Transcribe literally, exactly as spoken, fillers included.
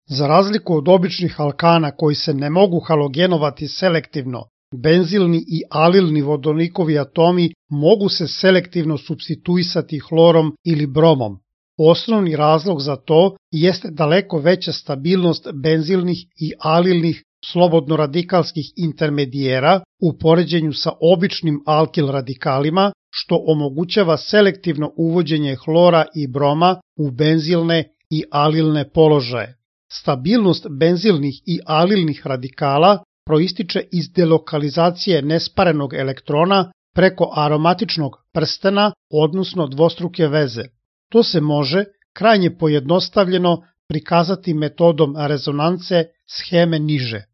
Za razliku od običnih alkana koji se ne mogu halogenovati selektivno, benzilni i alilni vodonikovi atomi mogu se selektivno supstituisati hlorom ili bromom. Osnovni razlog za to jeste daleko veća stabilnost benzilnih i alilnih slobodno radikalskih intermedijera u poređenju sa običnim alkil radikalima, što omogućava selektivno uvođenje hlora i broma u benzilne i alilne položaje. Stabilnost benzilnih i alilnih radikala proističe iz delokalizacije nesparenog elektrona preko aromatičnog prstena, odnosno dvostruke veze. To se može, krajnje pojednostavljeno, prikazati metodom rezonance sheme niže.